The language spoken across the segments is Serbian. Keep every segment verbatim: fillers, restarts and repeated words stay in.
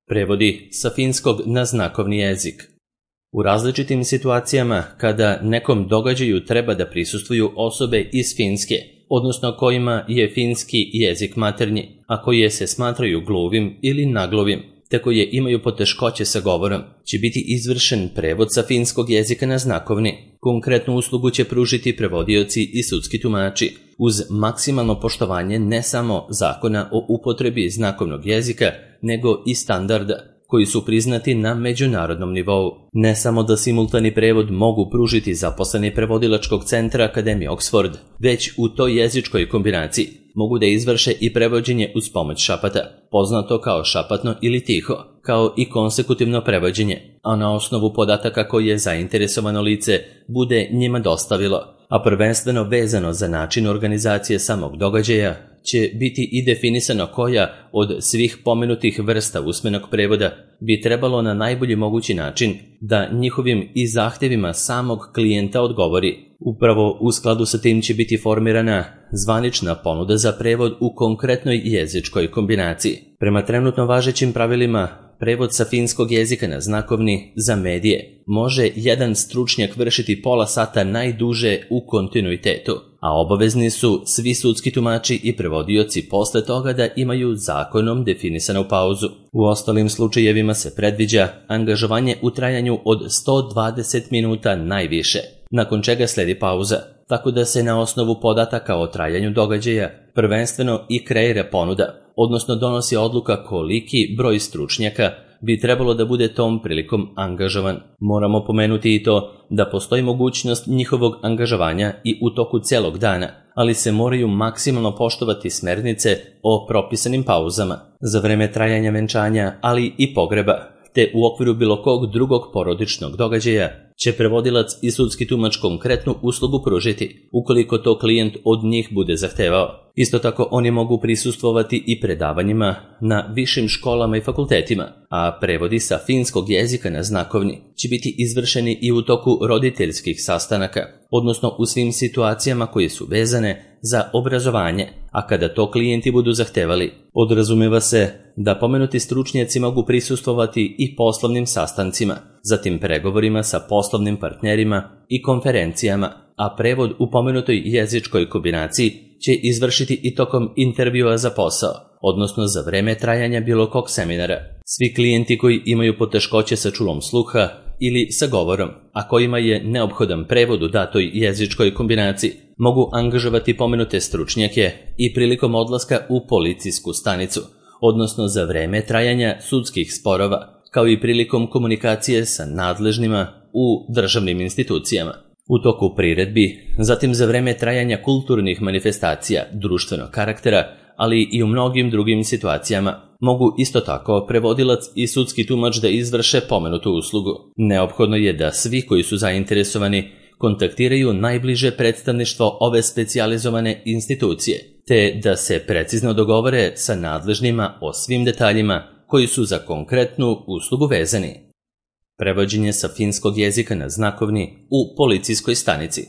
Prevodi sa finskog na znakovni jezik. U različitim situacijama kada nekom događaju treba da prisustvuju osobe iz Finske, odnosno kojima je finski jezik maternji, a koje se smatraju gluvim ili naglovim, te koje imaju poteškoće sa govorom, će biti izvršen prevod sa finskog jezika na znakovni. Konkretnu uslugu će pružiti prevodioci i sudski tumači, uz maksimalno poštovanje ne samo zakona o upotrebi znakovnog jezika, nego i standarda, koji su priznati na međunarodnom nivou. Ne samo da simultani prevod mogu pružiti zaposleni prevodilačkog centra Akademije Oxford, već u toj jezičkoj kombinaciji mogu da izvrše i prevođenje uz pomoć šapata, poznato kao šapatno ili tiho, kao i konsekutivno prevođenje, a na osnovu podataka koje zainteresovano lice bude njima dostavilo, a prvenstveno vezano za način organizacije samog događaja, će biti i definisano koja od svih pomenutih vrsta usmenog prevoda bi trebalo na najbolji mogući način da njihovim i zahtevima samog klijenta odgovori. Upravo u skladu sa tim će biti formirana zvanična ponuda za prevod u konkretnoj jezičkoj kombinaciji. Prema trenutno važećim pravilima, prevod sa finskog jezika na znakovni za medije može jedan stručnjak vršiti pola sata najduže u kontinuitetu, a obavezni su svi sudski tumači i prevodioci posle toga da imaju zakonom definisanu pauzu. U ostalim slučajevima se predviđa angažovanje u trajanju od sto dvadeset minuta najviše, nakon čega sledi pauza, tako da se na osnovu podataka o trajanju događaja prvenstveno i kreira ponuda, odnosno donosi odluka koliki broj stručnjaka bi trebalo da bude tom prilikom angažovan. Moramo pomenuti i to da postoji mogućnost njihovog angažovanja i u toku celog dana, ali se moraju maksimalno poštovati smernice o propisanim pauzama za vreme trajanja venčanja, ali i pogreba, te u okviru bilo kog drugog porodičnog događaja će prevodilac i sudski tumač konkretnu uslugu pružiti, ukoliko to klijent od njih bude zahtevao. Isto tako oni mogu prisustvovati i predavanjima na višim školama i fakultetima, a prevodi sa finskog jezika na znakovni će biti izvršeni i u toku roditeljskih sastanaka, odnosno u svim situacijama koje su vezane za obrazovanje, a kada to klijenti budu zahtevali. Podrazumeva se da pomenuti stručnjaci mogu prisustvovati i poslovnim sastancima, zatim pregovorima sa poslovnim partnerima i konferencijama, a prevod u pomenutoj jezičkoj kombinaciji će izvršiti i tokom intervjua za posao, odnosno za vreme trajanja bilo kog seminara. Svi klijenti koji imaju poteškoće sa čulom sluha ili sa govorom, a kojima je neophodan prevod u datoj jezičkoj kombinaciji, mogu angažovati pomenute stručnjake i prilikom odlaska u policijsku stanicu, odnosno za vreme trajanja sudskih sporova, kao i prilikom komunikacije sa nadležnima u državnim institucijama, u toku priredbi, zatim za vreme trajanja kulturnih manifestacija društvenog karaktera, ali i u mnogim drugim situacijama. Mogu isto tako prevodilac i sudski tumač da izvrše pomenutu uslugu. Neophodno je da svi koji su zainteresovani kontaktiraju najbliže predstavništvo ove specijalizovane institucije, te da se precizno dogovore sa nadležnima o svim detaljima koji su za konkretnu uslugu vezani. Prevođenje sa finskog jezika na znakovni u policijskoj stanici.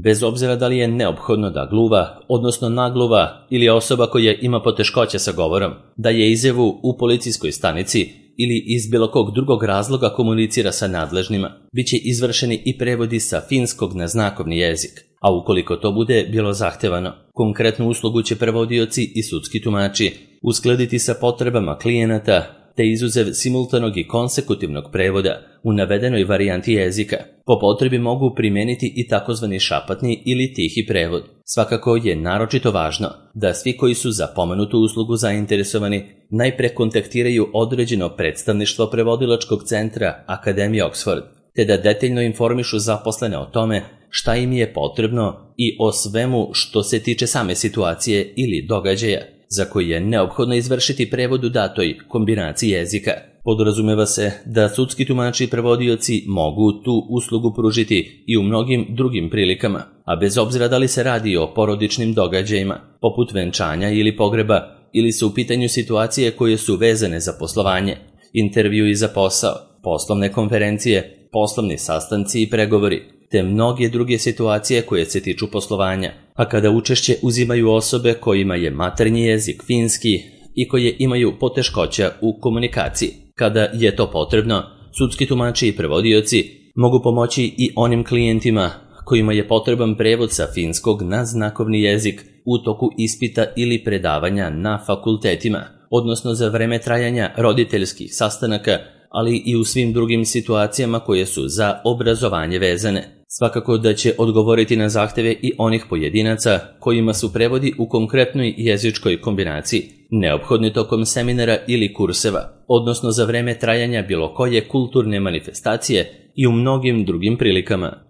Bez obzira da li je neophodno da gluva, odnosno nagluva ili osoba koja ima poteškoće sa govorom, da je izjavu u policijskoj stanici ili iz bilo kog drugog razloga komunicira sa nadležnima, bit će izvršeni i prevodi sa finskog na znakovni jezik, a ukoliko to bude bilo zahtevano, konkretnu uslugu će prevodioci i sudski tumači uskladiti sa potrebama klijenata, te izuzev simultanog i konsekutivnog prevoda u navedenoj varijanti jezika, po potrebi mogu primeniti i takozvani šapatni ili tihi prevod. Svakako je naročito važno da svi koji su za pomenutu uslugu zainteresovani najpre kontaktiraju određeno predstavništvo prevodilačkog centra Akademije Oxford, te da detaljno informišu zaposlene o tome šta im je potrebno i o svemu što se tiče same situacije ili događaja za koji je neophodno izvršiti prevod u datoj kombinaciji jezika. Podrazumeva se da sudski tumači i prevodioci mogu tu uslugu pružiti i u mnogim drugim prilikama, a bez obzira da li se radi o porodičnim događajima, poput venčanja ili pogreba, ili su u pitanju situacije koje su vezane za poslovanje, intervju i za posao, poslovne konferencije, poslovni sastanci i pregovori, te mnoge druge situacije koje se tiču poslovanja, a kada učešće uzimaju osobe kojima je maternji jezik finski i koje imaju poteškoća u komunikaciji. Kada je to potrebno, sudski tumači i prevodioci mogu pomoći i onim klijentima kojima je potreban prevod sa finskog na znakovni jezik u toku ispita ili predavanja na fakultetima, odnosno za vreme trajanja roditeljskih sastanaka, ali i u svim drugim situacijama koje su za obrazovanje vezane. Svakako da će odgovoriti na zahteve i onih pojedinaca kojima su prevodi u konkretnoj jezičkoj kombinaciji neophodni tokom seminara ili kurseva, odnosno za vreme trajanja bilo koje kulturne manifestacije i u mnogim drugim prilikama.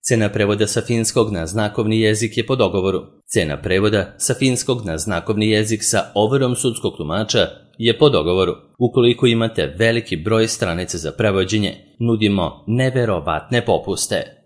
Cena prevoda sa finskog na znakovni jezik je po dogovoru. Cena prevoda sa finskog na znakovni jezik sa overom sudskog tumača je po dogovoru. Ukoliko imate veliki broj stranica za prevođenje, nudimo neverovatne popuste.